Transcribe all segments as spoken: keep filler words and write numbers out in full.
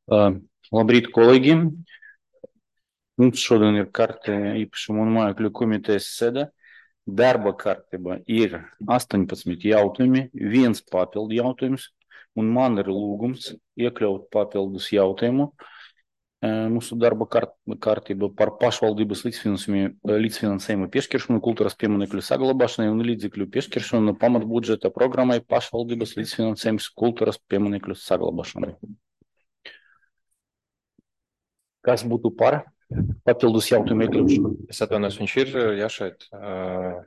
Uh, Labrīt, kolēģi! Mums šodien ir karte īpašuma un mājokļu komitejas sēde. Darba kārtība ir astoņpadsmit jautājumi, viens papildu jautājums, un man ir lūgums iekļaut papildus jautājumu. Mūsu darba kārt, kārtība par pašvaldības līdzfinansējumu piešķiršanu, kultūras pieminekļu saglabāšanai un līdzekļu piešķiršanu pamatbudžeta programmai pašvaldības līdzfinansējums kultūras pieminekļu saglabāšanai. Kas būtu par papildus jautājumu iekļaušanu? Es atvainojos, viņš ir, ja šeit uh,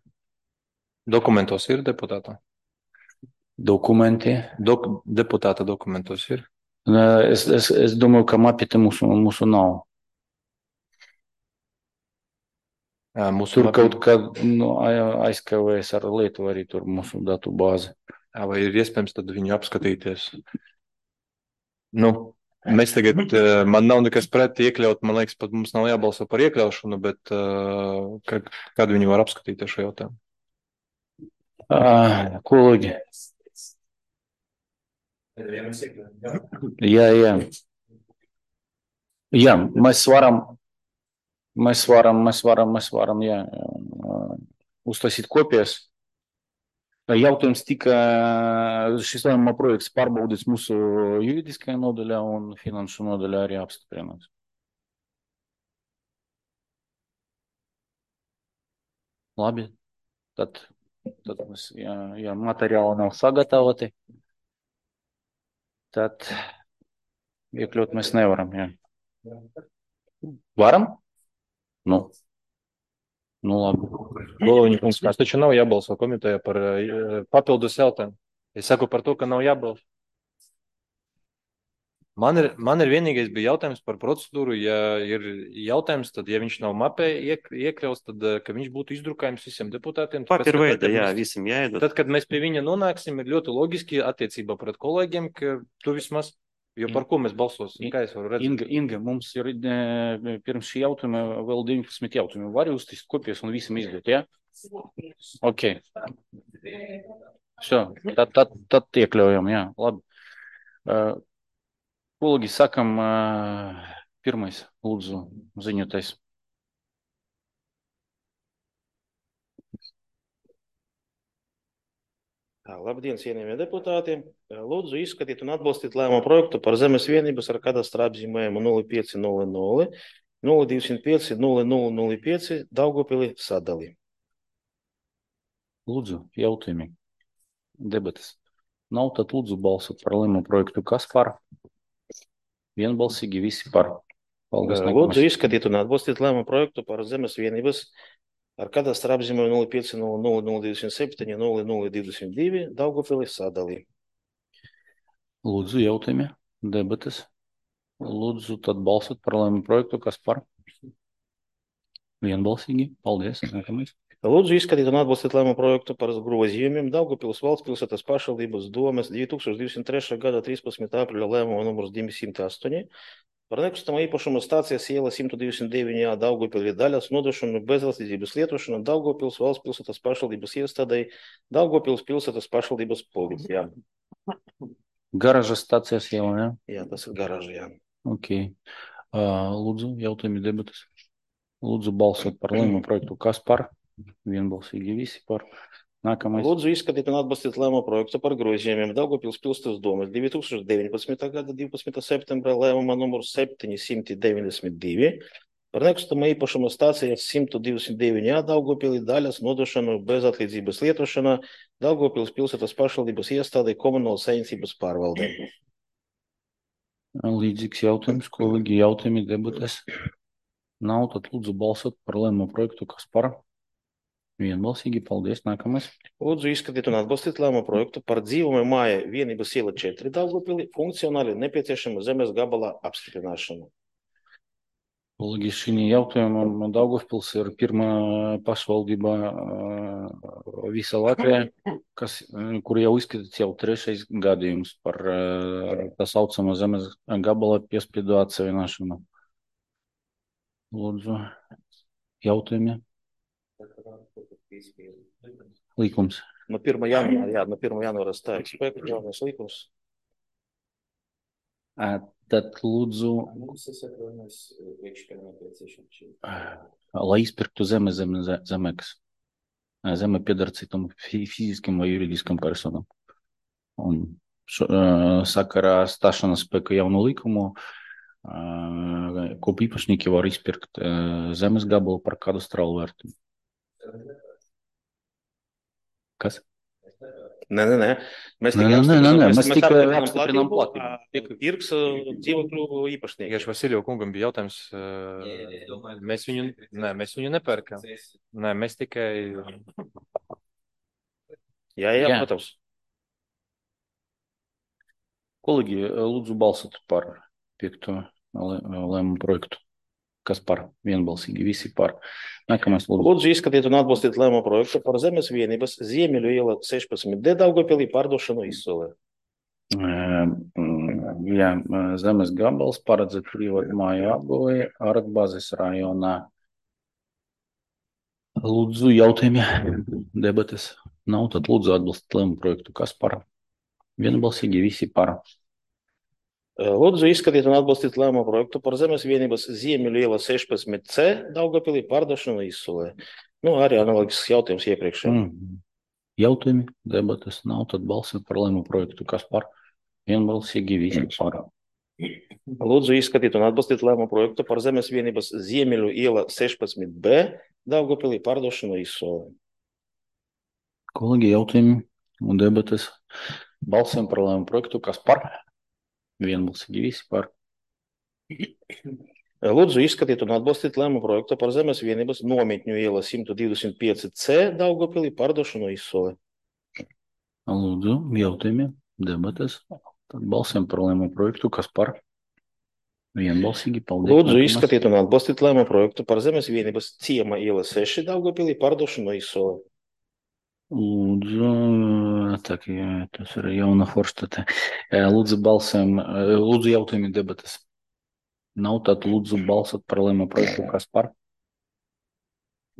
dokumentos ir deputāta? Dokumenti. Dok, deputāta dokumentos ir? Es, es, es domāju, ka mapīte mūsu, mūsu nav. Jā, mūsu Tur mapīte... kaut kad nu, aizkavējas ar lietu arī tur mūsu datu bāzi. Jā, vai ir iespējams tad viņu apskatīties? Nu, mēs tagad, man nav nekas pret iekļaut, man liekas, pat mums nav jābalso par iekļaušanu, bet uh, kad, kad viņi var apskatīt šo jautājumu? Uh, kolēģi. Jā, jā. Jā, mēs varam, mēs varam, mēs varam, mēs varam, jā, uztaisīt kopijas. Jautājums tika, šis lēmuma projekts pārbaudīts mūsu juridiskajā nodaļā un finanšu nodaļā arī apstiprināts. Labi, tad, tad mēs, ja, ja materiāli nav sagatavoti, tad iekļaut mēs nevaram, jā. Varam? Nu. Nu, labi. Goloviņa kungs, mēs taču nav jābalso komitejā par uh, papildus jautājumu. Es saku par to, ka nav jābalso. Man ir, man ir vienīgais bija jautājums par procedūru. Ja ir jautājums, tad, ja viņš nav mapē iek, iekļaus, tad, ka viņš būtu izdrukājums visiem deputātiem. Papīra veidā, jā, visam jāiedod. Tad, kad mēs pie viņa nonāksim, ir ļoti loģiski attiecībā pret kolēģiem, ka tu vismaz, jo par ko mēs balsosim, kā es varu redzēt? Inga, Inga, mums ir pirms šī jautājuma vēl deviņpadsmit jautājumi. Var uztist kopijas un visam izdot, jā? Ja? Ok. Šo, tad, tad, tad iekļaujam, jā, labi. Uh, Kolēģi, sakam, uh, pirmais, lūdzu, ziņotais. Labdien, cienījamie deputāti. Lūdzu izskatīt un atbalstīt lēmumu projektu par zemes vienības ar kadastra apzīmējumu nulle pieci nulle nulle, nulle divi pieci nulle nulle nulle pieci Daugavpili sadali. Lūdzu, jautājumi, debatas. Nav, tad lūdzu balsot par lēmumu projektu. Kas par? Vienbalsīgi visi par. Paldies. Lūdzu izskatīt un atbalstīt lēmumu projektu par zemes vienības ar kadastra apzīmējumu nulle pieci nulle nulle nulle divi septiņi nulle nulle divi divi Daugavpili sadali. Lūdzu, jautājumi, debatas. Lūdzu, tad balsot par lēmumu projektu. Kas par? Vienbalsīgi. Paldies. Nākamais. Lūdzu izskatīt un atbalstīt lēmumu projektu par grozījumiem Daugavpils valsts pilsētas pašvaldības domes divi tūkstoši divdesmit trešā gada trīspadsmitā aprīļa lēmuma numurs divsimt astoņi par nekustamo īpašumu stācijas iela simt divdesmit deviņi A Daugavpilī daļas nodošanu bezvalstīdzības lietošanu Daugavpils valsts pilsētas pašvaldības iestādei Daugavpils pilsētas pašvaldības policijā. Garažas stācijas iela, jā? Jā, tas ir garaža, jā. Ok. Uh, lūdzu, jautājumi, debatas. Lūdzu, balsot par lēmumu projektu. Kas par? Vienbalsīgi visi par. Nākamais. Lūdzu izskatīt un atbalstīt lēmumu projektu par grozījumiem Daugavpils pilsētas domes divi tūkstoši deviņpadsmitā gada divpadsmitā septembra lēmuma numurs septiņsimt deviņdesmit divi par nekustamo īpašumu stācijas simt divdesmit deviņi A Daugavpilī daļas nodošanu bezatlīdzības lietošanā Daugavpils pilsētas pašvaldības iestādei komunālas saimniecības pārvaldē. Līdzīgs jautājums, kolēģi, jautājumi, debates. Nav, tad lūdzu balsot par lēmumu projektu. Kas par? Vienbalsīgi, paldies. Nākamais. Lūdzu izskatīt un atbalstīt lēmumu projektu par dzīvumu māja vienības iela četri Daugavpilī funkcionāli nepieciešama zemes gabala apstiprināšanu. Kolēģi, šī jautājuma Daugavpils ir pirmā pašvaldība visā Latvijā, kas, kur jau izskatīts jau trešais gadījums par tā saucamo zemes gabala piespiedu atseviināšanu. Lūdzu, jautājumi. Līkums. No pirmā janvāra, jā, no pirmā janvāra stājas spēku jaunais līkums. Tad lūdzu, Mums tas atvainojas priekškara nepieciešams. lai izpirktu zeme zem ze- zemekas. Zeme pieder citam fi- fiziskiem vai juridiskiem personam. Un šo, uh, sakarā stāšanās spēkā jaunu likumu, uh, kopu īpašnieki var izpirkt uh, zemes gabalu par kadastrālu vērtību. Kas? Nē, nē, nē. Mēs Nē, tikai nē, nē, apstiprinām- nē, nē, mēs- mēs mēs tikai apstiprinām apstiprinām platību, platību. ā, pirks ā, dzīvokļu īpašnieki. Vienkārši Vasilija kungam bija jautājums. ā, Jā, jā, es domāju, Mēs viņu, nē, mēs viņu nepērkam. Nē, mēs tikai. Jā, jā, Jā. protams. Kolēģi, lūdzu balsot par piekto lē- lēmumu projektu. Kas par? Vienbalsīgi, visi par. Nākamais lūdzu. Lūdzu izskatīt un atbalstīt lēmumu projektu par zemes vienības Ziemeļu iela sešpadsmit D Daugavpilī pārdošanu izsolē. Ē, mm, Jā, zemes gabals paredzēt privātu māju apbūvi Aratbazes rajonā. Lūdzu, jautājumi, debates nav, tad lūdzu atbalstīt lēmumu projektu. Kas par? Vienbalsīgi, visi par. Lūdzu izskatīt un atbalstīt lēmumu projektu par zemes vienības Ziemeļu iela sešpadsmit C Daugavpilī pārdošanu izsolē. Nu, arī analogisks jautājums iepriekšējiem. Mm. Jautājumi, debates nav, tad balsim par lēmumu projektu. Kas par? Vienbalsīgi, visi par. Lūdzu izskatīt un atbalstīt lēmumu projektu par zemes vienības Ziemeļu iela sešpadsmit B Daugavpilī pārdošanu izsolē. Kolēģi, jautājumi un debates. Balsim par lēmumu projektu. Kas par? Vienbalsīgi, visi par. Lūdzu izskatīt un atbalstīt lēmumu projektu par zemes vienības Nometņu iela simt divdesmit pieci C Daugavpilī pārdošanu izsolē. Lūdzu, jautājumi, debates. Tad balsim par lēmumu projektu. Kas par? Vienbalsīgi, paldies. Lūdzu Nākamais. izskatīt un atbalstīt lēmumu projektu par zemes vienības Ciema iela seši Daugavpilī pārdošanu izsolē. Lūdzu, tā kā tas ir jauna forstate. Lūdzu, balsim, lūdzu, jautājumi, debates. Nav, tad lūdzu balsot par lēmumu projektu. Kas par?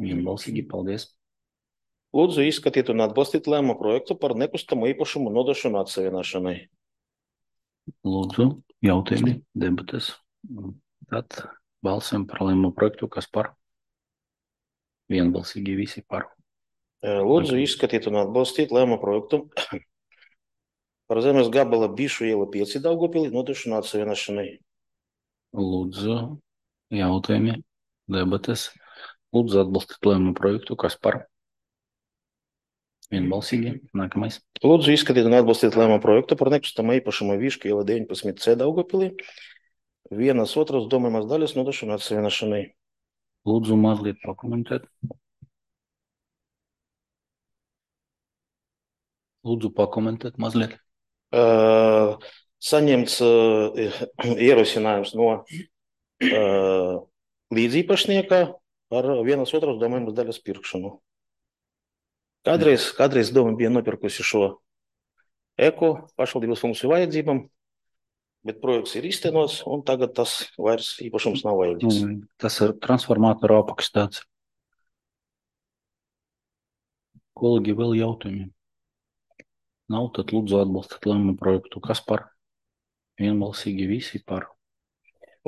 Vienbalsīgi, paldies. Lūdzu izskatīt un atbalstīt lēmumu projektu par nekustamo īpašumu nodošanu atsevienošanai. Lūdzu, jautājumi, debates. Tad balsim par lēmumu projektu. Kas par? Vienbalsīgi, visi par. Lūdzu izskatīt un atbalstīt lēmumu projektu par zemes gabala Bišu iela pieci Daugavpilī nodošanu atsevienošanai. Lūdzu, jautājumi, debates. Lūdzu, atbalstīt lēmumu projektu. Kas par? Vienbalsīgi. Nākamais. Lūdzu izskatīt un atbalstīt lēmumu projektu par nekustamo īpašumu Višku iela deviņpadsmit C Daugavpilī vienas otras domājumās daļas nodošanu atsevienošanai. Lūdzu, mazliet pakomentēt. Lūdzu, pakomentēt mazliet. Uh, saņemts uh, ierosinājums no uh, līdzīpašnieka par vienas otras domājumas daļas pirkšanu. Kādreiz, kādreiz doma bija nopirkusi šo eko pašvaldības funkciju vajadzībām, bet projekts ir iztenots, un tagad tas vairs īpašums nav vajadzīgs. Nu, tas ir transformātoru apakšstāts. Kolēģi, vēl jautājumi? Nav, tad lūdzu atbalstīt lēmumu projektu. Kas par? Vienbalsīgi visi par.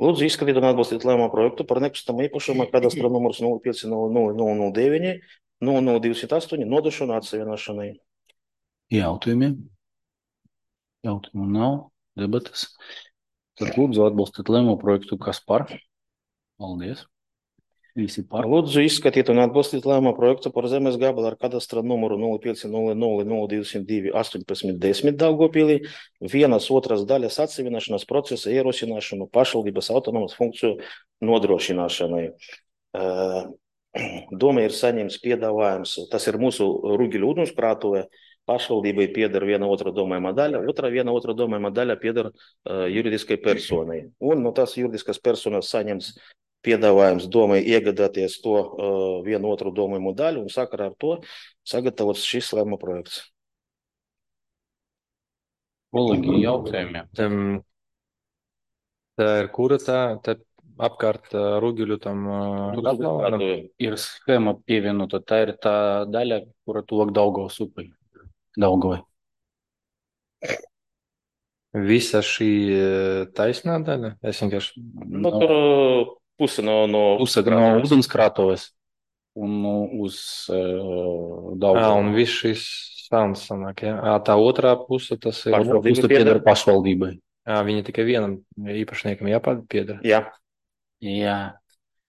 Lūdzu izskatīt un atbalstīt lēmumu projektu par nekustamo īpašumu kadastra numurs nulle pieci nulle nulle nulle nulle deviņi nulle nulle divsimt astoņi nodošanu atsevienošanai. Jautājumi? Jautājumu nav. Debates. Tad lūdzu atbalstīt lēmumu projektu. Kas par? Paldies. Visi par. Lūdzu izskatīt un atbalstīt lēmumu projektu par zemes gabalu ar kadastra numuru nulle pieci nulle nulle nulle divsimt divi astoņpadsmit desmit Daugavpilī vienas otras daļas atsevienošanas procesa ierosināšanu pašvaldības autonomas funkciju nodrošināšanai. Doma ir saņemts piedāvājums. Tas ir mūsu Rūgiļu ūdenskrātuve. Pašvaldībai pieder viena otra domājumā daļa, otra viena otra domājumā daļa pieder uh, juridiskai personai. Un no tās juridiskas personas saņems piedāvājums domai iegādāties to uh, vienu otru domājumu daļu un sakarā ar to sagatavots šis lēmuma projekts. Kolēģi, jautājumi? Tam, tā ir kura tā, tā apkārt ā, Rūgiļu tam ā, apgabalam? Ir schēma pievienota. Tā ir tā daļa, kura tuvāk Daugavas upei. Daugavai. Visa šī eh, taisnā daļa? Es vienkārši. Nu, tur uh, puse no, no Puse no krātuves. ūdenskrātuves un no uz uh, Ā, Daugava. un viss šis sauns sanāk, ja? Ā, tā otrā puse tas ir. Pašvaldība Puse pieder. pieder pašvaldībai. Ā, viņa tikai vienam īpašniekam jāpiedara. Jā, Jā,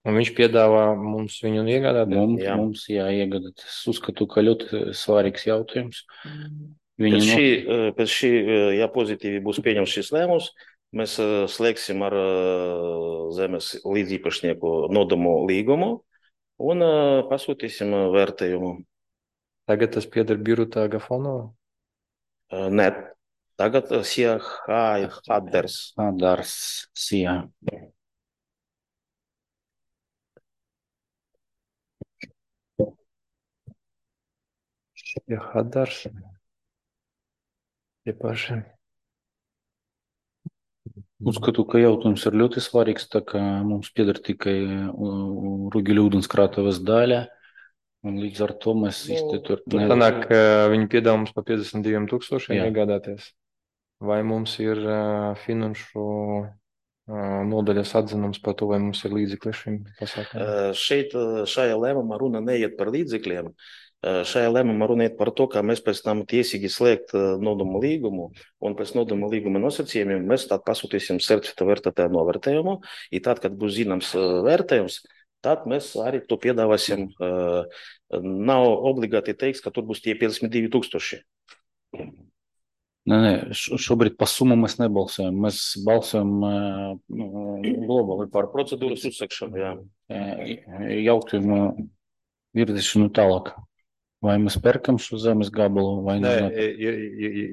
Un viņš piedāvā mums viņu iegādāties. mums, Jā. mums jāiegada. Es uzskatu, ka ļoti svarīgs jautājums. Viņi pēc no... šī, uh, pēc šī, uh, ja pozitīvi būs pieņemts šis lēmums, mēs uh, slēgsim ar uh, zemes līdzīpašnieku nodomu līgumu un uh, pasūtīsim uh, vērtējumu. Tagad tas pieder Birutā Gafonova. Uh, ne, tagad uh, Sija Haders. Hadars, Sija. Ja Hadars. Tie paši. Uzskatu, ka jautājums ir ļoti svarīgs, tā kā mums pieder tikai Rugeļu ūdenskrātuves daļa, un līdz ar to mēs Nu, īsti tur Tur ne- sanāk, ka viņi piedāvā mums pa piecdesmit diviem tūkstošiem Jā. iegādāties. Vai mums ir uh, finanšu uh, nodaļas atzinums par to, vai mums ir līdzekļi šim pasākumam? Uh, Šeit uh, šajā lēmumā runa neiet par līdzekļiem. Uh, Šajā lēmumā runa iet par to, kā mēs pēc tam tiesīgi slēgt uh, nodomu līgumu, un pēc nodomu līguma nosacījumiem mēs tad pasūtīsim certificēta vērtētāju novērtējumu, un tad, kad būs zināms uh, vērtējums, tad mēs arī to piedāvāsim. Uh, Nav obligāti teiks, ka tur būs tie piecdesmit divi tūkstoši. Nē, nē, š- šobrīd pa summu mēs nebalsojam. Mēs balsojam uh, globāli par Procedūras procedūras uzsakšanu, jā. uh, jautājumu virzīšanu tālāk. Vai mēs pērkam šo zemes gabalu vai Nē, nē? ir, ir,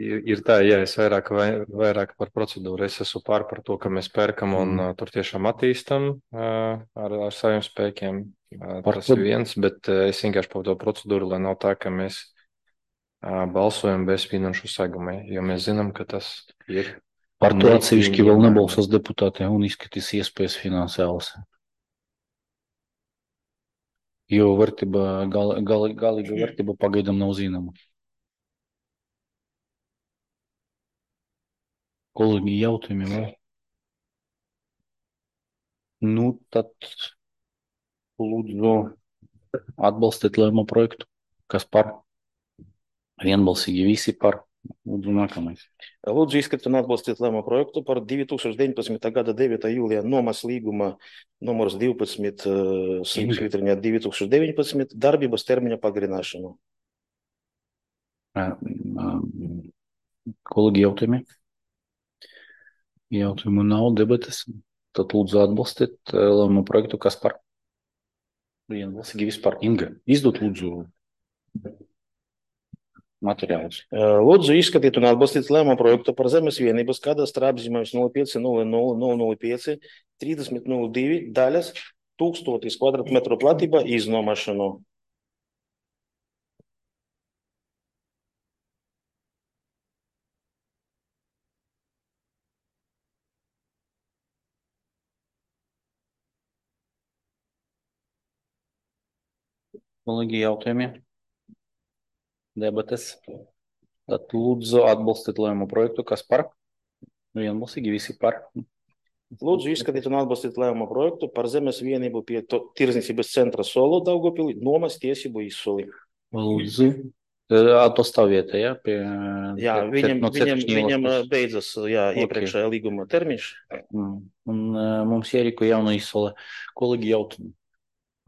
ir, ir tā, jā, es vairāk, vai, vairāk par procedūru. Es esmu pār par to, ka mēs pērkam un Mm. mm. tur tiešām attīstam uh, ar, ar saviem spēkiem. Uh, Par tas to- ir viens, bet uh, es vienkārši par to procedūru, lai nav tā, ka mēs uh, balsojam bez finanšu segumiem, jo mēs zinām, ka tas ir. Par to atsevišķi vēl nepieņemami. nebalsos deputāti un izskatīs iespējas finansiāls. Jo vērtība, gal, gal, galīga vērtība pagaidām nav zināma. Kolēģi, jautājumi vēl? Nu, tad lūdzu atbalstīt lēmumu projektu. Kas par? Vienbalsīgi visi par. Lūdzu, nākamais. Lūdzu izskatīt un atbalstīt lēmumu projektu par divi tūkstoši deviņpadsmitā gada devītā jūlijā nomas līguma numurs divpadsmit svītriņā divi tūkstoši deviņpadsmit darbības termiņa pagarināšanu. Ā, ā, Kolēģi, jautājumi? Jautājumu nav, debates. Tad lūdzu atbalstīt ā, lēmumu projektu. Kas par? Vienbalsīgi vispār. Inga, izdot lūdzu materiālus. Lūdzu izskatīt un atbalstīt lēmumu projektu par zemes vienības kadastra apzīmējums nulle pieci nulle nulle nulle nulle pieci trīsdesmit nulle divi daļas tūkstotis kvadrātmetru platība iznomašanu. Kolēģi, jautājumi? Debates. Tad lūdzu atbalstīt lēmumu projektu. Kas par? Vienbalsīgi visi par. Lūdzu izskatīt un atbalstīt lēmumu projektu par zemes vienību pie to- tirdzniecības centra Solo Daugavpilī nomas tiesību izsoli. Lūdzu. Atostāvietē, jā? Pie, Jā, pie- viņam, no viņam, Ceturkšņielas viņam puses. beidzas jā, Ok. iepriekšējā līguma termiņš. Mm. Un ā, mums jārīko jauna izsole. Kolēģi, jautājumi?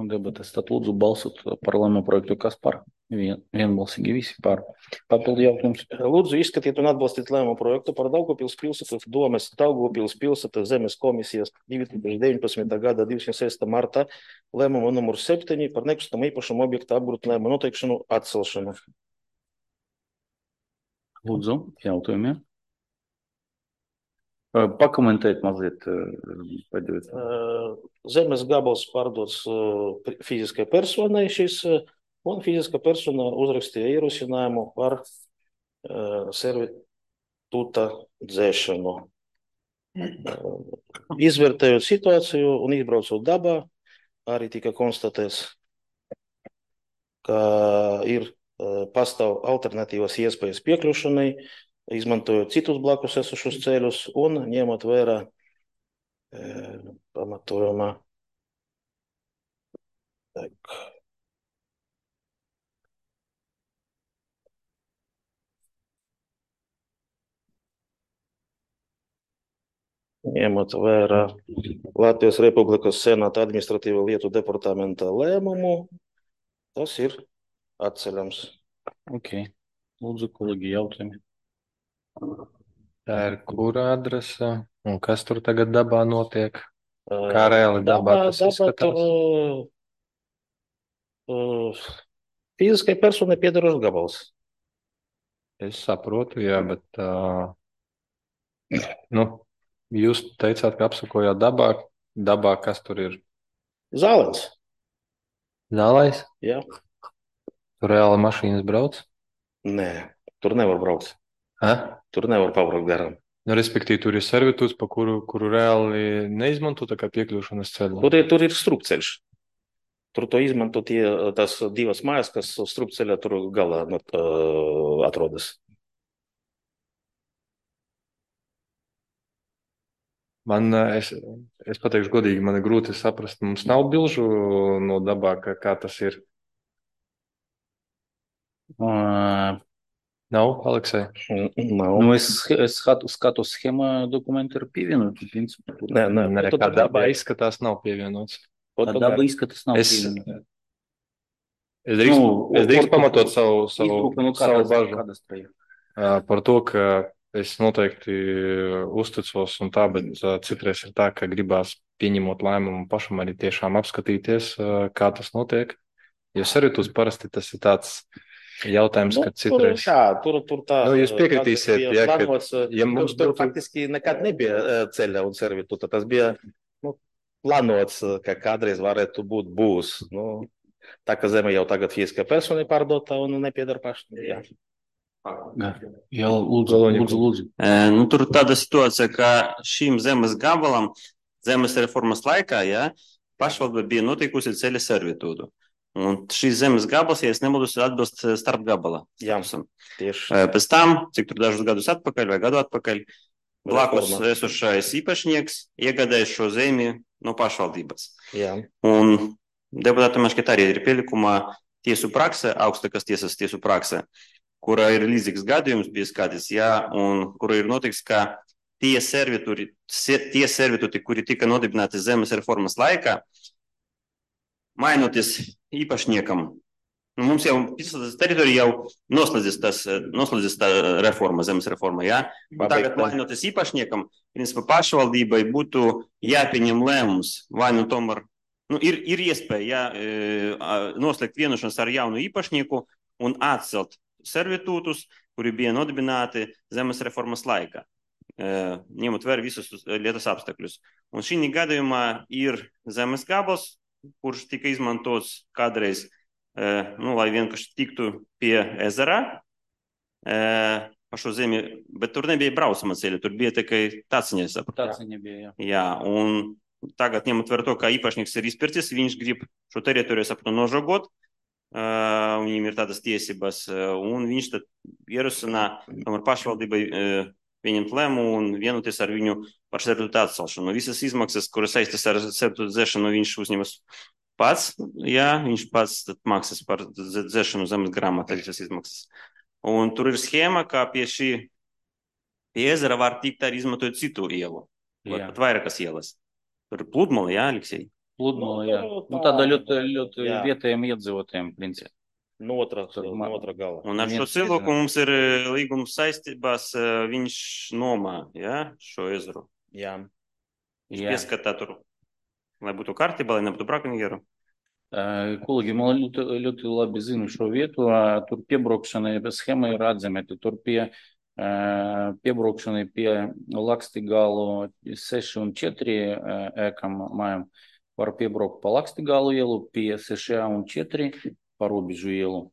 Un debates. Tad lūdzu balsot par lēmumu projektu. Kas par? Vien, vienbalsīgi visi par. Papildu jautājums. Lūdzu izskatīt un atbalstīt lēmumu projektu par Daugavpils pilsētas domes Daugavpils pilsētas zemes komisijas divi tūkstoši deviņpadsmitā gada divdesmit sestā martā lēmumu numur septiņi par nekustamo īpašumu objektu apgrūtinājumu noteikšanu atcelšanu. Lūdzu, jautājumi. Ā, Pakomentēt mazliet. ā, Pēdējais. Uh, Zemes gabals pārdots uh, pri- fiziskai personai šis, uh, un fiziska persona uzrakstīja ierosinājumu par uh, servituta dzēšanu. Uh, Izvērtējot situāciju un izbraucot dabā, arī tika konstatēts, ka ir uh, pastāv alternatīvas iespējas piekļūšanai izmantojot citus blakus esošus ceļus un ņemot vērā e, pamatojumā. Tak. Ņemot vērā Latvijas Republikas Senāta administratīvo lietu departamenta lēmumu, tas ir atceļams. Ok. Lūdzu, kolēģi, jautājumi. Tā ir kura adrese un kas tur tagad dabā notiek? Kā reāli dabā tas dabā izskatās? Tur, uh, fiziskai personai piedarošs gabals. Es saprotu, jā, bet uh, nu, jūs teicāt, ka apsakojāt dabā. Dabā kas tur ir? Zālens. Zālais? Jā. Tur reāli mašīnas brauc? Nē, tur nevar braukt. Ha? Tur nevar pabraukt garām. Nu, respektīvi, tur ir servitūts, pa kuru, kuru reāli neizmanto tā kā piekļūšanas ceļu. Tur ir, tur ir strupceļš. Tur to izmanto tie, tās divas mājas, kas strupceļā tur galā uh, atrodas. Man, es, es pateikšu godīgi, man ir grūti saprast, mums nav bilžu no dabā, kā, kā tas ir. Uh, Nav, Aleksei? Nav. nu, es, es skatu, skatu schēmā dokumentu ir pievienoti. Principā, tur Nē, nē, Nē, tur kā dabā dabā izskatās, nav pievienots. tā daba izskatās nav Es- pievienota. Es drīkst, Nu, es drīkst or- pamatot savu, savu, Izbrauka no savu kādas, bažu kādas trejas. ā, par to, ka es noteikti uzticos un tā, bet ā, citreiz ir tā, ka gribās pieņemot lēmumu pašam arī tiešām apskatīties, ā, kā tas notiek. Jo servitūts parasti tas ir tāds jautājums, ka tur, citreiz. jā, tur, tur tā. Nu, jūs piekritīsiet, bija ja, ka- plānots, ja mums tur, tur būtu- faktiski nekad nebija eh, ceļa un servitūta. Tas bija nu, plānots, eh, ka kādreiz varētu būt būs. Nu, tā kā zeme jau tagad fiziskā persona ir pārdota un nepiedara pašam. Jā. Jā, lūdzu, Galvenais. lūdzu, lūdzu. E, nu, tur tāda situācija, ka šīm zemes gabalam zemes reformas laikā ja, pašvaldība bija notikusi ceļa servitūdu. Un šīs zemes gabals, ja es nemaldos, ir atbilst starp gabala. Jā. statusam. Tieši E, Pēc tam, cik tur dažus gadus atpakaļ vai gadu atpakaļ, blakus Reforma. esošais īpašnieks iegādājas šo zemi no pašvaldības. jā. Un deputātam šķiet arī ir pielikumā tiesu prakse, augstākās tiesas tiesu prakse, kura ir līdzīgs gadījums bija skatīts, jā, un kura ir notiks, ka tie servitūri, se- tie servitūti, kuri tika nodibināti zemes reformas laikā, mainoties īpašniekam, nu, mums jau visas teritorija jau noslēdzis tas, noslēdzis tā reforma, zemes reforma, jā. Un tagad Pabeigta. mainoties īpašniekam, principā pašvaldībai būtu jāpieņem lēmums, vai nu tomēr, nu, ir, ir iespēja jā, e, a, noslēgt vienošanos ar jaunu īpašnieku un atcelt servitūtus, kuri bija nodibināti zemes reformas laikā, e, ņemot vērā visus lietas apstākļus. Un šī gadījumā ir zemes gabals, kurš tika izmantots kādreiz, e, nu, lai vienkārši tiktu pie ezera, e, pa šo zemi, bet tur nebija braucama ceļa, tur bija tikai taciņa, sapratu. Tāds viņa bija, jā. Jā, un tagad ņemot vērā to, ka īpašnieks ir izpircis, viņš grib šo teritoriju, sapratu, nožogot, uh, viņiem ir tādas tiesības, uh, un viņš tad ierosina tomēr pašvaldībai uh, pieņemt lēmumu un vienoties ar viņu par servitūtu atcelšanu. Visas izmaksas, kuras saistītas ar servitūtu dzēšanu, viņš uzņemas pats, jā, viņš pats tad maksas par dze- dzēšanu zemes grāmatā visas izmaksas. Un tur ir schēma, kā pie šī pie ezera var tikt arī izmantojot citu ielu, vai Jā. pat vairākas ielas. Tur ir pludmale, jā, Aleksej? Pludmale, Nu, jā. tā- Nu, tāda ļoti, ļoti Jā. vietējiem iedzīvotājiem, principā. No otra, Tur no ma- otra gala. Un ar šo Viens cilvēku ezera. mums ir e, līgums saistībās, e, viņš nomā, jā, šo ezeru. Jā. Viņš Jā. pieskatā tur, lai būtu kārtībā, lai nebūtu brakonjeru. Ē, Kolēģi, man ļoti, ļoti labi zinu šo vietu. ā, Tur piebraukšanai schēma ir atzīmēta. Tur pie ā, piebraukšanai pie Lakstigalu seši un četri ā, ēkam mājām var piebraukt pa Lakstigalu ielu, pie seši un četri pa Robežu ielu.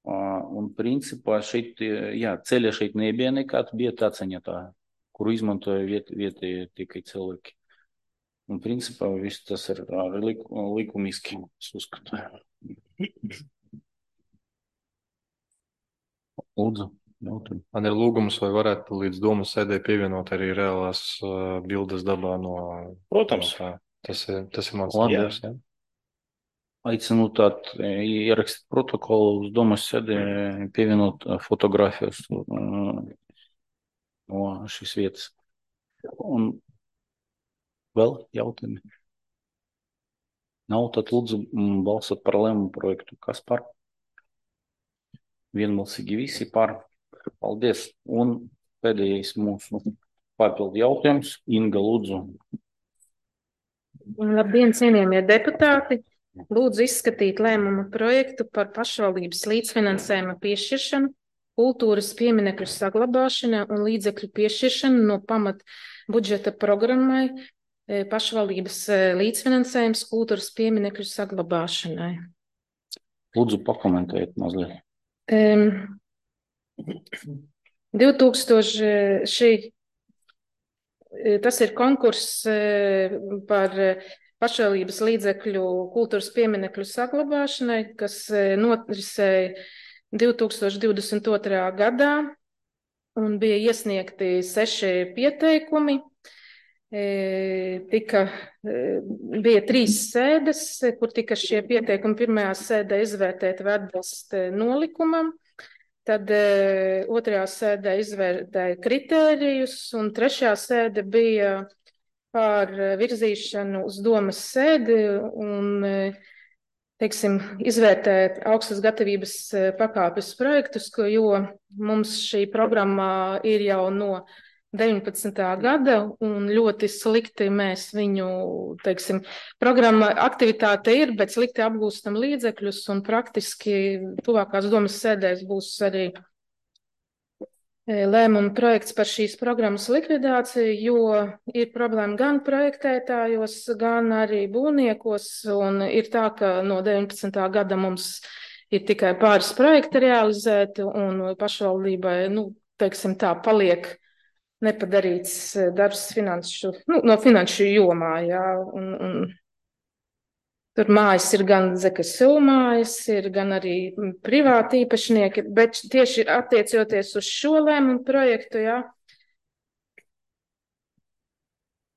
Ā, Un principā šeit, jā, ceļa šeit nebija nekad, bija taciņa tā, kuru izmantoja viet, vietējie tikai cilvēki. Un principā viss tas ir arī lik, likumiski, es uzskatu. Lūdzu. jautājumi. Man ir lūgums, vai varētu līdz domu sēdē pievienot arī reālās uh, bildes dabā no... Protams. No tā. Tas ir, tas ir mans Labi. lūgums, jā. Aicinu tātad ierakstīt protokolu uz domas sēdē, pievienot fotogrāfijas uh, no šīs vietas. Un vēl jautājumi? Nav, tad lūdzu mm, balsot par lēmumu projektu. Kas par? Vienbalsīgi visi par. Paldies. Un pēdējais mūsu papildu jautājums. Inga, lūdzu. Labdien, cienījamie deputāti! Lūdzu izskatīt lēmumu projektu par pašvaldības līdzfinansējuma piešķiršanu, kultūras pieminekļu saglabāšana un līdzekļu piešķiršanu no pamat budžeta programmai pašvaldības līdzfinansējums kultūras pieminekļu saglabāšanai. Lūdzu, pakomentējiet mazliet. Um, divtūkstoši šī, tas ir konkurss par pašvaldības līdzekļu kultūras pieminekļu saglabāšanai, kas norisēja divtūkstoši divdesmit otrajā gadā un bija iesniegti seši pieteikumi. Tika, bija trīs sēdes, kur tika šie pieteikumi pirmajā sēdē izvērtēti vai atbilst nolikumam, tad otrajā sēdē izvērtēja kritērijus un trešajā sēde bija par virzīšanu uz domas sēdi un, teiksim, izvērtēt augstas gatavības pakāpes projektus, jo mums šī programma ir jau no deviņpadsmitā gada un ļoti slikti mēs viņu, teiksim, programma aktivitāte ir, bet slikti apgūstam līdzekļus un praktiski tuvākās domas sēdēs būs arī lēmuma projekts par šīs programmas likvidāciju, jo ir problēma gan projektētājos, gan arī būvniekos un ir tā, ka no deviņpadsmitā gada mums ir tikai pāris projekti realizēti un pašvaldībai, nu, teiksim tā, paliek nepadarīts darbs finanšu, nu, no finanšu jomā, jā, un, un tur mājas ir gan Z K S U mājas, ir gan arī privāti īpašnieki, bet tieši attiecoties uz šo lēmumu projektu, jā,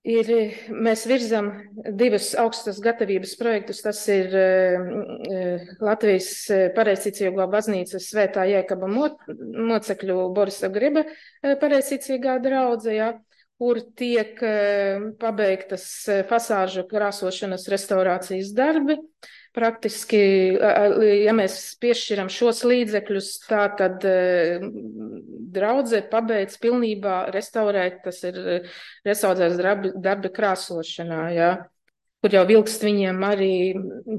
ir, mēs virzam divus augstas gatavības projektus, tas ir uh, Latvijas pareizticīgo baznīcas Svētā Jēkaba mocekļu Borisa Griba pareizticīgā draudze, ja, kur tiek uh, pabeigtas fasāžu krāsošanas restaurācijas darbi. Praktiski, ja mēs piešķiram šos līdzekļus, tā tad draudze pabeidz pilnībā restaurēt, tas ir restaurēts darbi, darbi krāsošanā, jā, kur jau vilkst viņiem arī,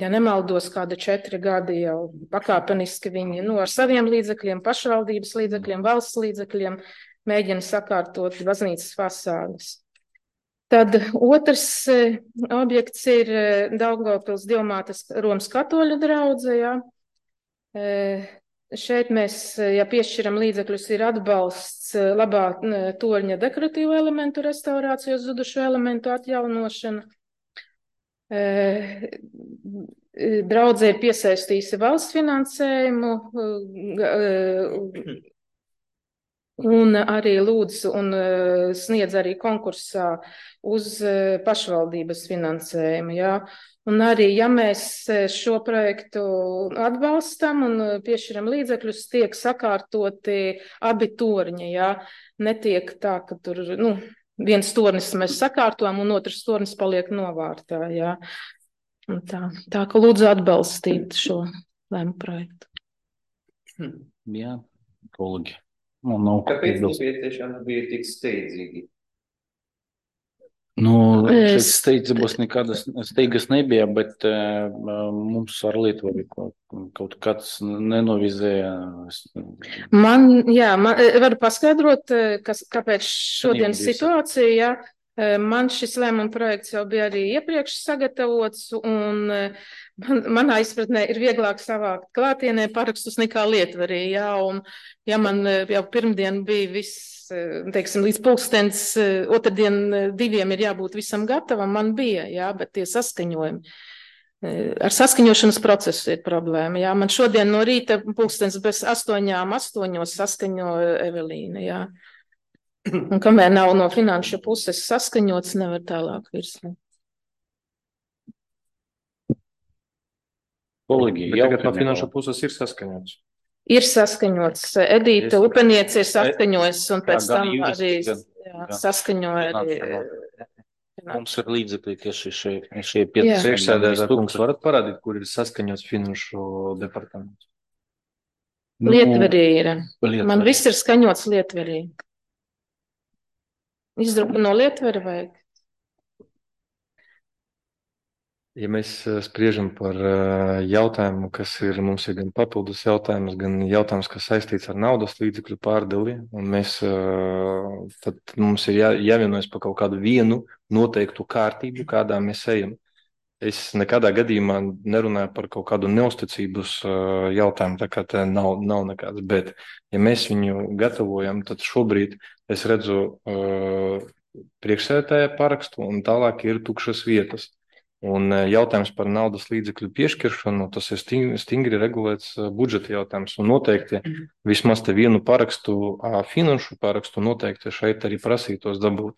ja nemaldos, kāda četri gadi jau pakāpeniski viņi, nu, ar saviem līdzekļiem, pašvaldības līdzekļiem, valsts līdzekļiem mēģina sakārtot baznīcas fasādes. Tad otrs objekts ir Daugavpils Dievmātes Romas katoļu draudze, jā. Šeit mēs, ja piešķiram līdzekļus, ir atbalsts labā torņa dekoratīvu elementu restaurāciju, zudušu elementu atjaunošana. Draudze ir piesaistījusi valsts finansējumu, un arī lūdz un sniedz arī konkursā uz pašvaldības finansējumu, jā. Un arī, ja mēs šo projektu atbalstam un piešķiram līdzekļus, tiek sakārtoti abi torņi, jā. Netiek tā, ka tur, nu, viens tornis mēs sakārtojam un otrs tornis paliek novārtā, jā. Un tā, tā, ka lūdzu atbalstīt šo lēmu projektu. Jā, kolēģi. Nu, nav Kāpēc nepieciešama bija tik steidzīgi? Nu, šeit Es- steidzības nekādas steigas nebija, bet uh, mums ar Lietuvu kaut, kaut kāds nenovizēja. Man, jā, man, varu paskaidrot, kas, kāpēc šodienas Sanīgi, situācija, jā. Man šis lēmuma projekts jau bija arī iepriekš sagatavots, un man, manā izpratnē ir vieglāk savākt klātienē parakstus nekā Lietvarī, jā, un ja man jau pirmdien bija viss, teiksim, līdz pulkstens, otrdien diviem ir jābūt visam gatavam, man bija, jā, bet tie saskaņojumi. Ar saskaņošanas procesu ir problēma. Jā. Man šodien no rīta pulkstens bez astoņām, astoņos saskaņo Evelīna. Jā. Un kamēr nav no finanšu puses saskaņots, nevar tālāk virsmu. Kolēģi, Bet tagad no jautājumi finanšu vēl? puses ir saskaņots. Ir saskaņots. Edīta Es- Upeniece ir saskaņojis un Jā, pēc gan tam jurists, arī gan- jā, gan saskaņoja arī. finanšu. Mums ir līdzekļi tieši šie, šie Jā. pieci. Priekšsēdētāj, kungs, varat parādīt, kur ir saskaņots finanšu departaments? Nu, Lietverī ir. Lietuvā. Man viss ir skaņots Lietverī. Izdruku no Lietvera vajag? Ja mēs eh, spriežam par eh, jautājumu, kas ir mums ir gan papildus jautājums, gan jautājums, kas saistīts ar naudas līdzekļu pārdali, un mēs eh, tad mums ir jā, jāvienojas par kaut kādu vienu noteiktu kārtību, kādā mēs ejam. Es nekādā gadījumā nerunāju par kaut kādu neusticības eh, jautājumu, tā kā te nav, nav nekāds, bet ja mēs viņu gatavojam, tad šobrīd es redzu uh, priekšsēdētāja parakstu un tālāk ir tukšas vietas. Un eh, jautājums par naudas līdzekļu piešķiršanu, tas ir sting- stingri regulēts eh, budžeta jautājums. Un noteikti vismaz te vienu parakstu, ā, finanšu parakstu noteikti šeit arī prasītos dabūt.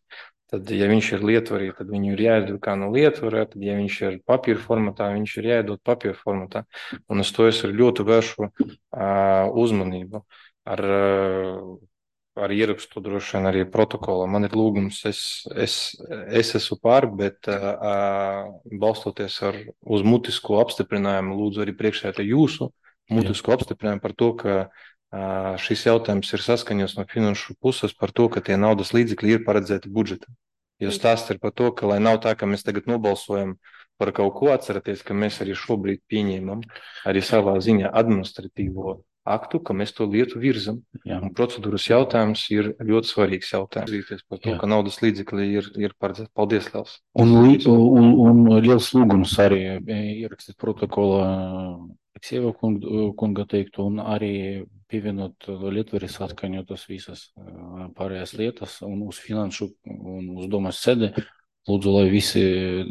Tad, ja viņš ir Lietvarī, tad viņu ir jāizdrukā no Lietvarā, tad, ja viņš ir papīra formatā, viņš ir jāiedod papīra formatā. Un uz to es ar ļoti vēršu ā, uzmanību. Ar, ā, ar ierakstu droši vien arī protokolā. Man ir lūgums, es, es, es esmu pār, bet uh, balstoties ar, uz mutisko apstiprinājumu, lūdzu arī priekšsēdētāju jūsu mutisko apstiprinājumu par to, ka uh, šis jautājums ir saskaņots no finanšu puses par to, ka tie naudas līdzekļi ir paredzēti budžetā. Jo stāsts ir par to, ka lai nav tā, ka mēs tagad nobalsojam par kaut ko, atceraties, ka mēs arī šobrīd pieņēmam arī savā ziņā administratīvo aktu, ka mēs to lietu virzam. Jā. Un procedūras jautājums ir ļoti svarīgs jautājums. Zīties par to, Jā. ka naudas līdzekļi ir, ir paredzēti. Paldies, Liels. Un, li- un, un liels lūgums arī e, ierakstīt protokolā Aleksejeva kunga, kunga teiktu un arī pievienot Lietveris atskaņotas visas e, pārējās lietas un uz finanšu un uz domas sēdi. Lūdzu, lai visi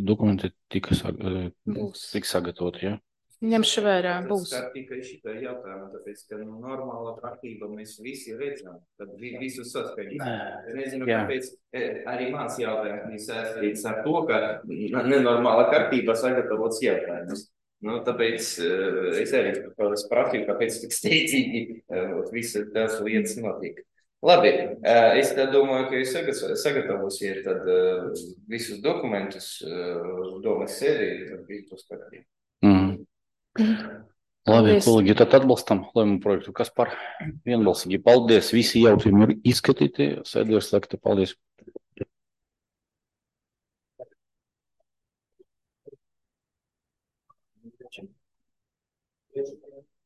dokumenti tika sag, e, Būs. tik sagatavoti. Ja? Ņemšu vērā, Tas būs. skar tikai šitā jautājumā, tāpēc, ka nu, normāla kārtība mēs visi redzam, tad vi, visu saskaņot. Es nezinu, Jā. kāpēc e, arī mans jautājums ir saistīts ar to, ka nenormāla kārtība sagatavots jautājums. Nu, tāpēc e, es arī es prasīju, kāpēc tik steidzīgi e, visas tās lietas notika. Labi, e, es tā domāju, ka jūs sagat- sagatavosiet tad e, visus dokumentus e, domas sēdī, tad viss būs kārtībā. Mm. Labi, Paldies. kolēģi, tad atbalstam lēmumu projektu. Kas par vienbalsīgi? Paldies. Visi jautājumi ir izskatīti. Sēdē ir slēgta. Paldies. Thank you.